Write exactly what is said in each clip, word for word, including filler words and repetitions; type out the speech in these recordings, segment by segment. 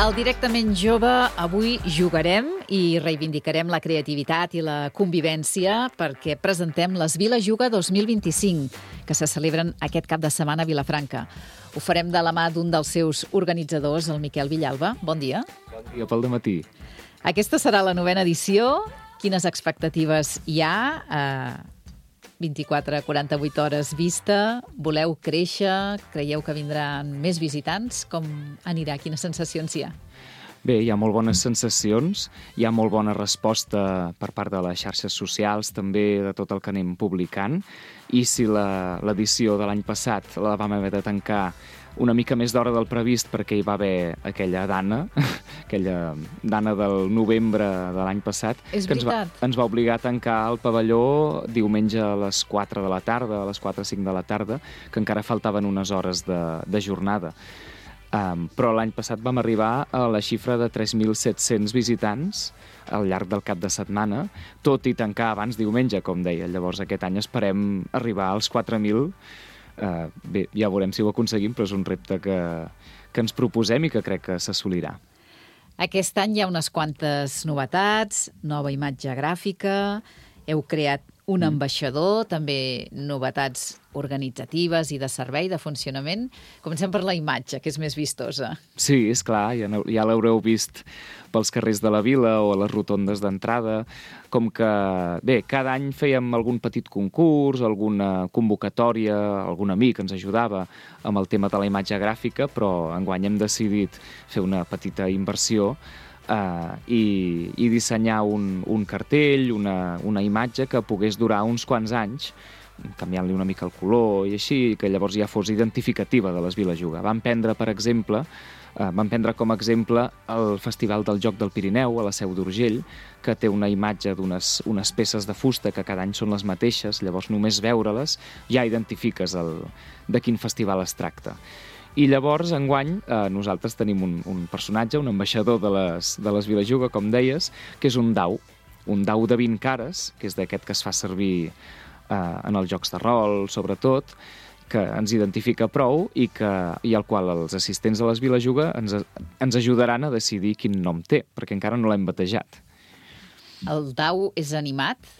Al Directament Jove avui jugarem i reivindicarem la creativitat i la convivència perquè presentem les Vila Juga dos mil vint-i-cinc, que se celebren aquest cap de setmana a Vilafranca. Ho farem de la mà d'un dels seus organitzadors, el Miquel Villalba. Bon dia. Bon dia pel dematí. Aquesta serà la novena edició. Quines expectatives hi ha? Uh, vint-i-quatre a quaranta-vuit hores vista. Voleu créixer? Creieu que vindran més visitants? Com anirà? Quines sensacions hi ha? Bé, hi ha molt bones sensacions, hi ha molt bona resposta per part de les xarxes socials, també de tot el que anem publicant, i si l'edició de l'any passat la vam haver de tancar una mica més d'hora del previst perquè hi va haver aquella dana, aquella dana del novembre de l'any passat, És que ens va, ens va obligar a tancar el pavelló diumenge a les quatre de la tarda, a les quatre o cinc de la tarda, que encara faltaven unes hores de, de jornada. Um, però l'any passat vam arribar a la xifra de tres mil set-cents visitants al llarg del cap de setmana, tot i tancar abans diumenge, com deia. Llavors aquest any esperem arribar als quatre mil. Uh, bé, ja veurem si ho aconseguim, però és un repte que, que ens proposem i que crec que s'assolirà. Aquest any hi ha unes quantes novetats, nova imatge gràfica, heu creat un ambaixador, també novetats organitzatives i de servei, de funcionament. Comencem per la imatge, que és més vistosa. Sí, és clar, ja, ja l'haureu vist pels carrers de la vila o a les rotondes d'entrada. Com que, bé, cada any fèiem algun petit concurs, alguna convocatòria, algun amic ens ajudava amb el tema de la imatge gràfica, però enguany hem decidit fer una petita inversió Uh, i, i dissenyar un, un cartell, una, una imatge que pogués durar uns quants anys, canviant-li una mica el color i així, que llavors ja fos identificativa de les Vila Juga. Vam prendre, per exemple, uh, vam prendre com a exemple el Festival del Joc del Pirineu a la Seu d'Urgell, que té una imatge d'unes unes peces de fusta que cada any són les mateixes, llavors només veure-les ja identifiques el, de quin festival es tracta. I llavors, enguany, eh, nosaltres tenim un, un personatge, un ambaixador de les, de les Vila Juga, com deies, que és un dau, un dau de vint cares, que és d'aquest que es fa servir eh, en els jocs de rol, sobretot, que ens identifica prou i, que, i al qual els assistents de les Vila Juga ens, ens ajudaran a decidir quin nom té, perquè encara no l'hem batejat. El dau és animat?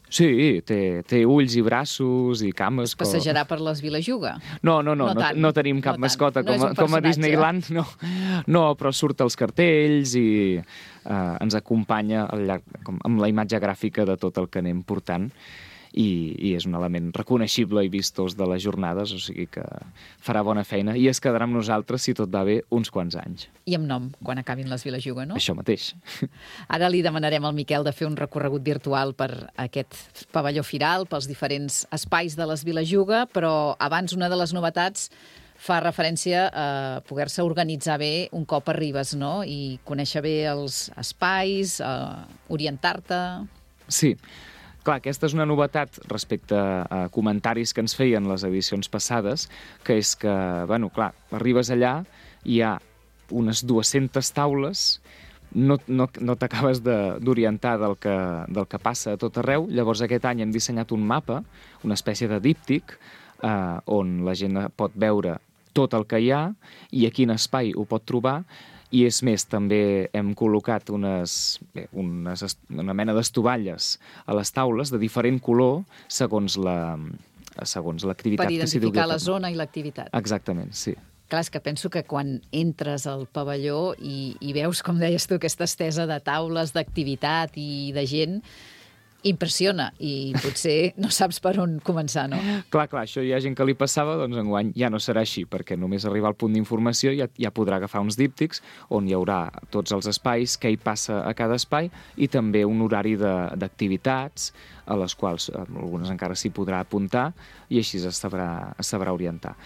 Sí, té, té ulls i braços i cames. Es passejarà per les Vila Juga? No, no, no, no, no, tant, no tenim cap no mascota no com, a, com a Disneyland, no. No, però surt als cartells i eh, ens acompanya al llarg, com, amb la imatge gràfica de tot el que anem portant. I, i és un element reconeixible i vistós de les jornades, o sigui que farà bona feina i es quedarà amb nosaltres, si tot va bé, uns quants anys. I amb nom, quan acabin les Vila Juga, no? Això mateix. Ara li demanarem al Miquel de fer un recorregut virtual per aquest pavelló firal, pels diferents espais de les Vila Juga, però abans una de les novetats fa referència a poder-se organitzar bé un cop arribes, no? I conèixer bé els espais, orientar-te... Sí. Clar, aquesta és una novetat respecte a comentaris que ens feien les edicions passades, que és que, bueno, clar, arribes allà, hi ha unes dues-centes taules, no, no, no t'acabes d'orientar del, que, del que passa a tot arreu. Llavors aquest any hem dissenyat un mapa, una espècie de díptic, eh, on la gent pot veure tot el que hi ha i a quin espai ho pot trobar. I és més, també hem col·locat unes, bé, unes, una mena d'estovalles a les taules de diferent color segons la segons l'activitat que s'hi dugui. Per identificar la zona i l'activitat. Exactament, sí. Clar, és que penso que quan entres al pavelló i, i veus, com deies tu, aquesta estesa de taules, d'activitat i de gent, impressiona i potser no saps per on començar, no? Clar, clar, això hi ha gent que li passava, doncs enguany ja no serà així, perquè només arribar al punt d'informació ja, ja podrà agafar uns díptics on hi haurà tots els espais, què hi passa a cada espai i també un horari d'activitats a les quals algunes encara s'hi podrà apuntar i així es sabrà, es sabrà orientar.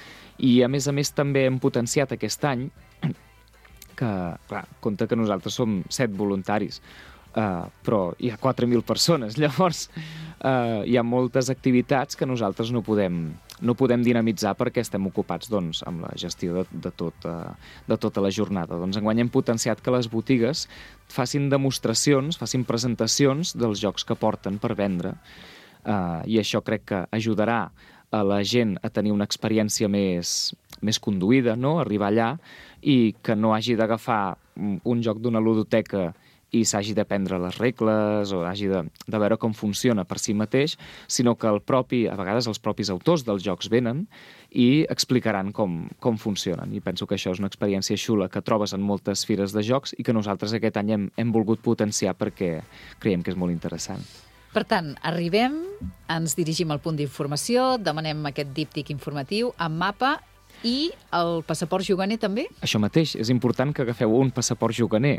I a més a més també hem potenciat aquest any que, clar, compte que nosaltres som set voluntaris, Uh, però hi ha quatre mil persones, llavors uh, hi ha moltes activitats que nosaltres no podem, no podem dinamitzar perquè estem ocupats doncs, amb la gestió de, de, tot, uh, de tota la jornada. Doncs enguany hem potenciat que les botigues facin demostracions, facin presentacions dels jocs que porten per vendre uh, i això crec que ajudarà a la gent a tenir una experiència més, més conduïda, no? Arribar allà i que no hagi d'agafar un joc d'una ludoteca i s'hagi d'aprendre les regles o hagi de, de veure com funciona per si mateix, sinó que el propi, a vegades els propis autors dels jocs venen i explicaran com, com funcionen. I penso que això és una experiència xula que trobes en moltes fires de jocs i que nosaltres aquest any hem, hem volgut potenciar perquè creiem que és molt interessant. Per tant, arribem, ens dirigim al punt d'informació, demanem aquest díptic informatiu amb mapa i el passaport juganer també? Això mateix, és important que agafeu un passaport juganer.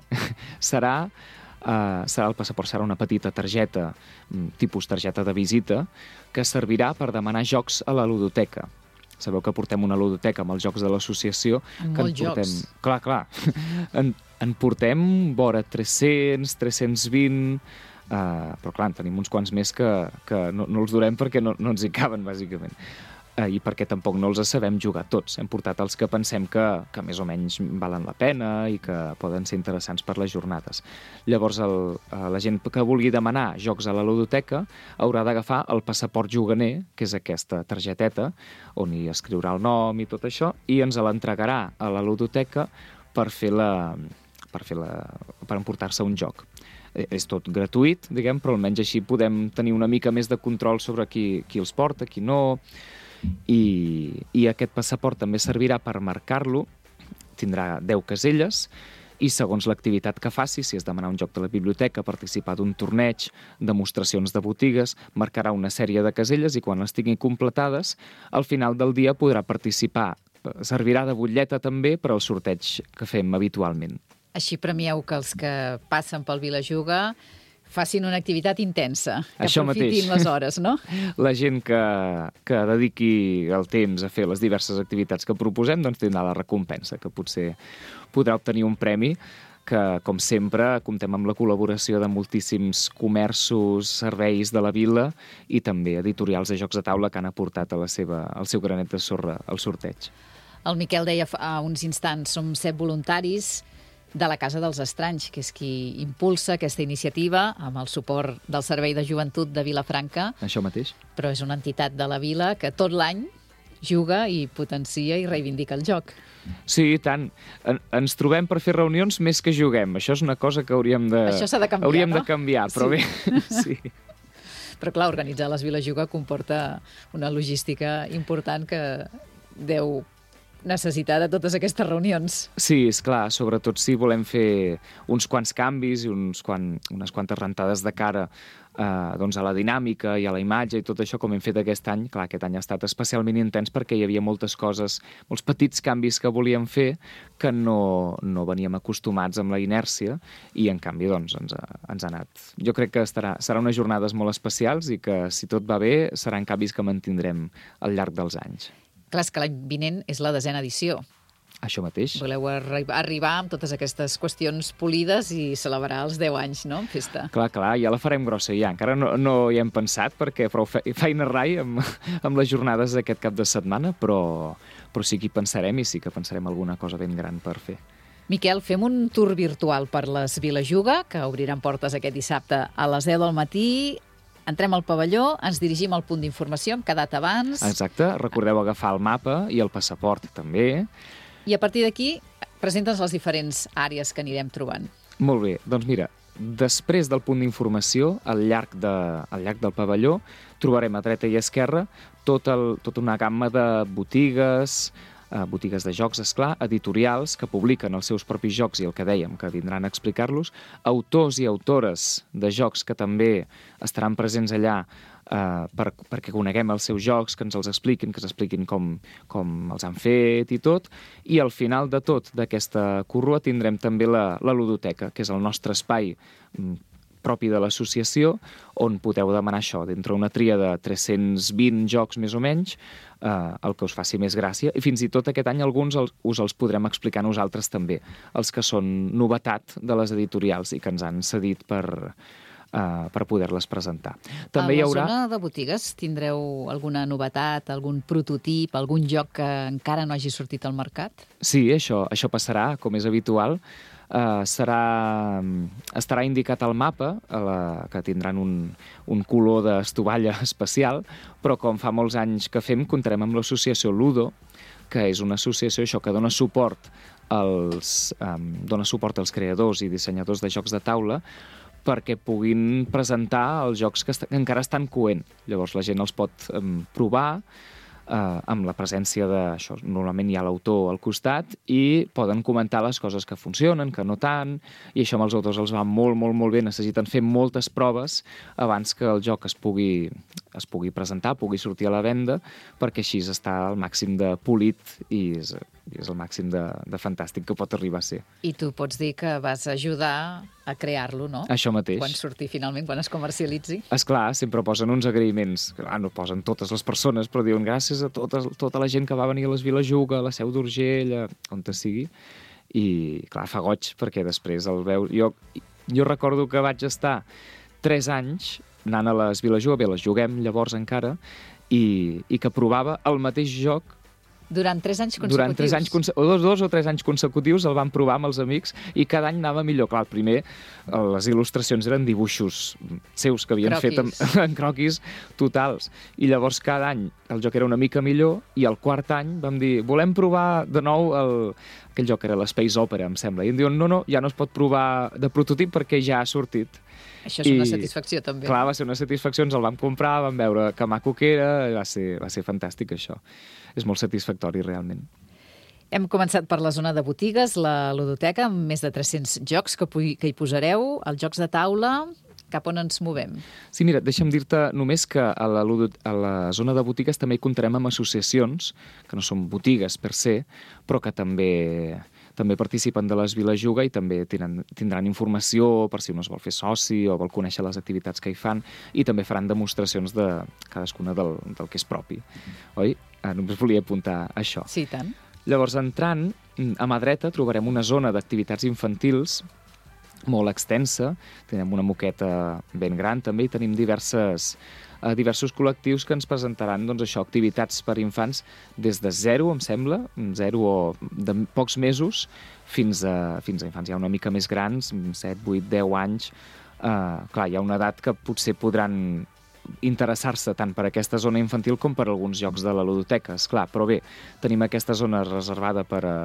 serà, uh, serà el passaport serà una petita targeta, tipus targeta de visita, que servirà per demanar jocs a la ludoteca. Sabeu que portem una ludoteca amb els jocs de l'associació. Amb que molts en portem... jocs. Clar, clar. en, en portem vora tres-cents, tres-cents vint... Uh, però clar, en tenim uns quants més que, que no, no els durem perquè no, no ens hi caben, bàsicament. Uh, I perquè tampoc no els sabem jugar tots. Hem portat els que pensem que, que més o menys valen la pena i que poden ser interessants per les jornades. Llavors, el, uh, la gent que vulgui demanar jocs a la ludoteca haurà d'agafar el passaport juganer, que és aquesta targeteta, on hi escriurà el nom i tot això, i ens l'entregarà a la ludoteca per fer la, per fer la, per emportar-se un joc. És tot gratuït, diguem, però almenys així podem tenir una mica més de control sobre qui, qui els porta, qui no, i, i aquest passaport també servirà per marcar-lo, tindrà deu caselles, i segons l'activitat que faci, si és demanar un joc de la biblioteca, participar d'un torneig, demostracions de botigues, marcarà una sèrie de caselles i quan les tingui completades, al final del dia podrà participar. Servirà de butlleta també per al sorteig que fem habitualment. Així premieu que els que passen pel Vilajuga facin una activitat intensa, que Això aprofitin mateix. les hores, no? La gent que, que dediqui el temps a fer les diverses activitats que proposem doncs tindrà la recompensa, que potser podrà obtenir un premi que, com sempre, comptem amb la col·laboració de moltíssims comerços, serveis de la vila i també editorials de jocs de taula que han aportat a la seva, el seu granet de sorra al sorteig. El Miquel deia fa uns instants, som set voluntaris de la Casa dels Estranys, que és qui impulsa aquesta iniciativa amb el suport del Servei de Joventut de Vilafranca. Això mateix. Però és una entitat de la vila que tot l'any juga i potencia i reivindica el joc. Sí, i tant. En, ens trobem per fer reunions més que juguem. Això és una cosa que hauríem de, Això s'ha de canviar, hauríem no? de canviar, però Sí. bé, sí. Però clar, organitzar les Vilajuga comporta una logística important que deu necessitar de totes aquestes reunions. Sí, és clar, sobretot si volem fer uns quants canvis i uns quan, unes quantes rentades de cara eh, doncs a la dinàmica i a la imatge i tot això com hem fet aquest any. Clar, aquest any ha estat especialment intens perquè hi havia moltes coses, molts petits canvis que volíem fer que no, no veníem acostumats amb la inèrcia i en canvi doncs ens ha, ens ha anat. Jo crec que estarà, serà unes jornades molt especials i que si tot va bé seran canvis que mantindrem al llarg dels anys. Clar, és que l'any vinent és la desena edició. Això mateix. Voleu arri arribar amb totes aquestes qüestions polides i celebrar els deu anys, no?, en festa. Clar, clar, ja la farem grossa ja. Encara no, no hi hem pensat perquè prou fe feina rai amb, amb les jornades d'aquest cap de setmana, però, però sí que hi pensarem i sí que pensarem alguna cosa ben gran per fer. Miquel, fem un tour virtual per les Vilajuga, que obriran portes aquest dissabte a les deu del matí. Entrem al pavelló, ens dirigim al punt d'informació, hem quedat abans. Exacte, recordeu agafar el mapa i el passaport també. I a partir d'aquí presenta'ns les diferents àrees que anirem trobant. Molt bé, doncs mira, després del punt d'informació, al llarg, de, al llarg del pavelló, trobarem a dreta i a esquerra tot el, tota una gamma de botigues, eh, botigues de jocs, esclar, editorials que publiquen els seus propis jocs i el que dèiem, que vindran a explicar-los, autors i autores de jocs que també estaran presents allà eh, per, perquè coneguem els seus jocs, que ens els expliquin, que ens expliquin com, com els han fet i tot, i al final de tot d'aquesta corrua tindrem també la, la ludoteca, que és el nostre espai propi de l'associació, on podeu demanar això, d'entre una tria de tres-cents vint jocs més o menys, eh, el que us faci més gràcia, i fins i tot aquest any alguns els, us els podrem explicar nosaltres també, els que són novetat de les editorials i que ens han cedit per, eh, per poder-les presentar. També a hi haurà... la zona de botigues tindreu alguna novetat, algun prototip, algun joc que encara no hagi sortit al mercat? Sí, això, això passarà, com és habitual. Uh, serà, estarà indicat al mapa, a la, que tindran un, un color d'estovalla especial, però com fa molts anys que fem, comptarem amb l'associació Ludo, que és una associació això que dona suport els, um, dona suport als creadors i dissenyadors de jocs de taula perquè puguin presentar els jocs que, est que encara estan coent. Llavors la gent els pot um, provar eh, amb la presència de... Això, normalment hi ha l'autor al costat i poden comentar les coses que funcionen, que no tant, i això amb els autors els va molt, molt, molt bé. Necessiten fer moltes proves abans que el joc es pugui, es pugui presentar, pugui sortir a la venda, perquè així està al màxim de polit i és, i és el màxim de, de fantàstic que pot arribar a ser. I tu pots dir que vas ajudar a crear-lo, no? Això mateix. Quan surti finalment, quan es comercialitzi. Esclar, sempre posen uns agraïments. Clar, no posen totes les persones, però diuen gràcies a totes, tota la gent que va venir a les Vilajuga, a la Seu d'Urgell, on te sigui. I, clar, fa goig, perquè després el veus... Jo, jo recordo que vaig estar tres anys anant a les Vilajuga, bé, les juguem llavors encara, i, i que provava el mateix joc Durant tres anys consecutius? Durant tres anys, o dos, dos o tres anys consecutius el vam provar amb els amics i cada any anava millor. Clar, el primer, les il·lustracions eren dibuixos seus que havien croquis. fet en, en croquis totals. I llavors cada any el joc era una mica millor i el quart any vam dir, volem provar de nou el... aquell joc era l'Space Opera, em sembla. I em diuen, no, no, ja no es pot provar de prototip perquè ja ha sortit. Això és I, una satisfacció, també. Clar, va ser una satisfacció, ens el vam comprar, vam veure que maco que era, va ser, va ser fantàstic, això. És molt satisfactori, realment. Hem començat per la zona de botigues, la ludoteca, amb més de tres-cents jocs que, que hi posareu, els jocs de taula. Cap on ens movem? Sí, mira, deixa'm dir-te només que a la, a la zona de botigues també hi comptarem amb associacions, que no són botigues per se, però que també... també participen de les Vilajuga i també tindran, tindran informació per si un es vol fer soci o vol conèixer les activitats que hi fan i també faran demostracions de cadascuna del, del que és propi. Oi? Ah, només volia apuntar això. Sí, tant. Llavors, entrant, a mà dreta trobarem una zona d'activitats infantils molt extensa. Tenim una moqueta ben gran també i tenim diverses... a diversos col·lectius que ens presentaran doncs, això, activitats per infants des de zero, em sembla, zero o de pocs mesos, fins a, fins a infants ja una mica més grans, set, vuit, deu anys. Uh, clar, hi ha una edat que potser podran interessar-se tant per aquesta zona infantil com per alguns jocs de la ludoteca, esclar, però bé, tenim aquesta zona reservada per, a,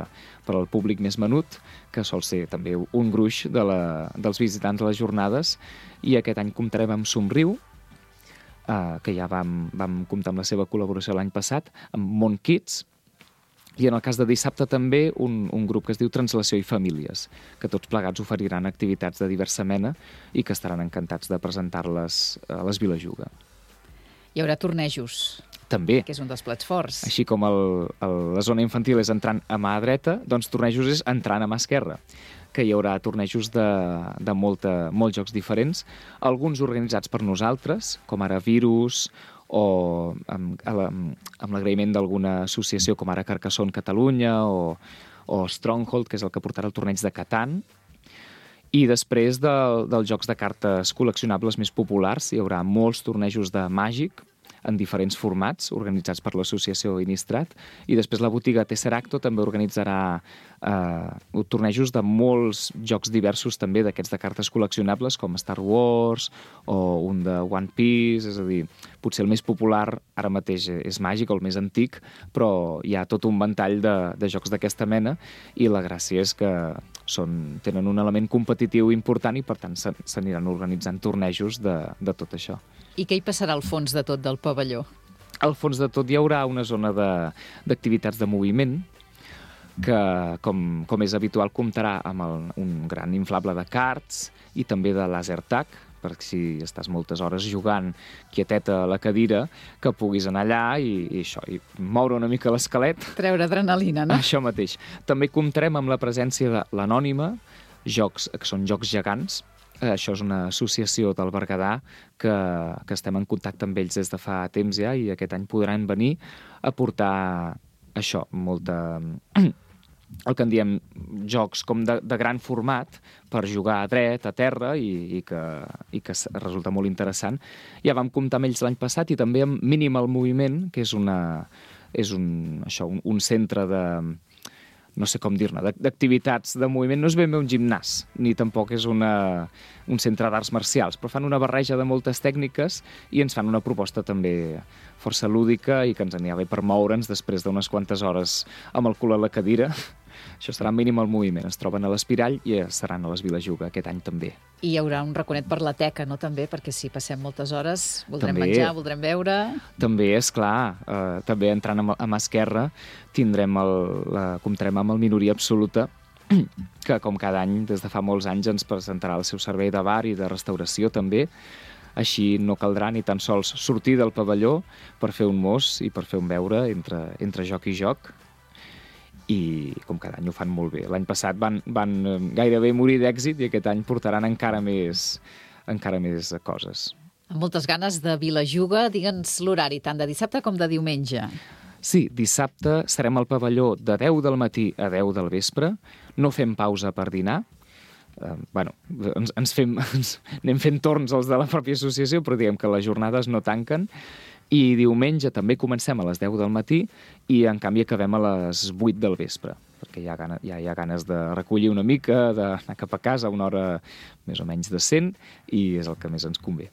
per al públic més menut, que sol ser també un gruix de la, dels visitants a les jornades, i aquest any comptarem amb Somriu, Uh, que ja vam, vam comptar amb la seva col·laboració l'any passat, amb Mont Kids, i en el cas de dissabte també un, un grup que es diu Translació i Famílies, que tots plegats oferiran activitats de diversa mena i que estaran encantats de presentar-les a les Vilajuga. Hi haurà tornejos. També. Que és un dels plats forts. Així com el, el, la zona infantil és entrant a mà dreta, doncs tornejos és entrant a mà esquerra, que hi haurà tornejos de, de molta, molts jocs diferents, alguns organitzats per nosaltres, com ara Virus, o amb, amb l'agraïment d'alguna associació com ara Carcassonne Catalunya, o, o Stronghold, que és el que portarà el torneig de Catan. I després de, dels jocs de cartes col·leccionables més populars, hi haurà molts tornejos de Màgic, en diferents formats, organitzats per l'associació Innistrad, i després la botiga Tesseracto també organitzarà eh, tornejos de molts jocs diversos també d'aquests de cartes col·leccionables, com Star Wars o un de One Piece, és a dir, potser el més popular ara mateix és Màgic, el més antic, però hi ha tot un ventall de, de jocs d'aquesta mena, i la gràcia és que són, tenen un element competitiu important i per tant s'aniran organitzant tornejos de, de tot això. I què hi passarà al fons de tot del pavelló? Al fons de tot hi haurà una zona d'activitats de, de moviment que, com, com és habitual, comptarà amb el, un gran inflable de karts i també de laser tag, perquè si estàs moltes hores jugant quieteta a la cadira, que puguis anar allà i, i, això, i moure una mica l'esquelet. Treure adrenalina, no? Això mateix. També comptarem amb la presència de l'Anònima, jocs que són jocs gegants. Això és una associació del Berguedà que, que estem en contacte amb ells des de fa temps ja i aquest any podran venir a portar això, molta... el que en diem jocs com de, de gran format per jugar a dret, a terra i, i, que, i que resulta molt interessant. Ja vam comptar amb ells l'any passat i també amb Minimal Moviment, que és, una, és un, això, un, un centre de... no sé com dir-ne, d'activitats de moviment. No és ben bé un gimnàs, ni tampoc és una, un centre d'arts marcials, però fan una barreja de moltes tècniques i ens fan una proposta també força lúdica i que ens anirà bé per moure'ns després d'unes quantes hores amb el cul a la cadira. Això serà mínim el moviment. Es troben a l'Espirall i seran a les Vilajuga aquest any també. I hi haurà un raconet per la teca, no, també? Perquè si passem moltes hores, voldrem també, menjar, voldrem beure... També, és clar. Eh, també entrant a, a mà esquerra tindrem el, la, comptarem amb el Minoria Absoluta, que com cada any, des de fa molts anys, ens presentarà el seu servei de bar i de restauració també. Així no caldrà ni tan sols sortir del pavelló per fer un mos i per fer un beure entre, entre joc i joc. I com cada any ho fan molt bé. L'any passat van, van gairebé morir d'èxit i aquest any portaran encara més, encara més coses. Amb moltes ganes de Vilajuga, digue'ns l'horari, tant de dissabte com de diumenge. Sí, dissabte serem al pavelló de deu del matí a deu del vespre. No fem pausa per dinar. Uh, bueno, ens, ens fem, ens anem fent torns els de la pròpia associació, però diguem que les jornades no tanquen. I diumenge també comencem a les deu del matí i, en canvi, acabem a les vuit del vespre, perquè hi ha, gana, ja hi ha ganes de recollir una mica, d'anar cap a casa a una hora més o menys decent, i és el que més ens convé.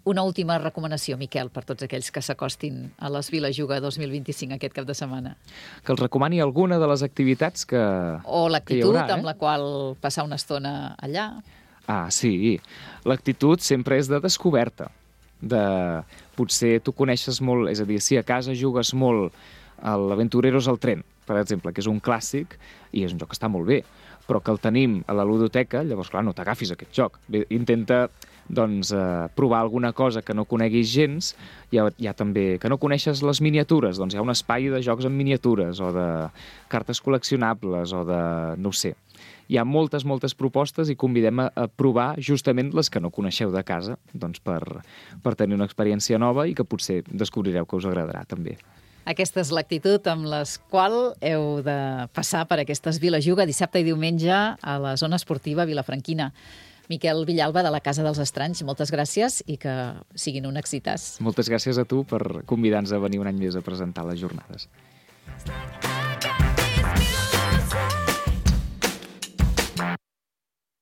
Una última recomanació, Miquel, per tots aquells que s'acostin a les Vilajuga dos mil vint-i-cinc aquest cap de setmana. Que els recomani alguna de les activitats que O l'actitud eh? amb la qual passar una estona allà. Ah, sí. L'actitud sempre és de descoberta. De... Potser tu coneixes molt... És a dir, si a casa jugues molt a l'Aventureros al tren, per exemple, que és un clàssic, i és un joc que està molt bé, però que el tenim a la ludoteca, llavors, clar, no t'agafis aquest joc. Bé, intenta doncs, eh, provar alguna cosa que no coneguis gens. Hi ha, hi ha també que no coneixes les miniatures, doncs hi ha un espai de jocs en miniatures o de cartes col·leccionables o de... no ho sé. Hi ha moltes, moltes propostes i convidem a, a provar justament les que no coneixeu de casa, doncs per, per tenir una experiència nova i que potser descobrireu que us agradarà també. Aquesta és l'actitud amb la qual heu de passar per aquestes Vilajuga dissabte i diumenge a la zona esportiva vilafranquina. Miquel Villalba, de la Casa dels Estranys, moltes gràcies i que siguin un èxitàs. Moltes gràcies a tu per convidar-nos a venir un any més a presentar les jornades.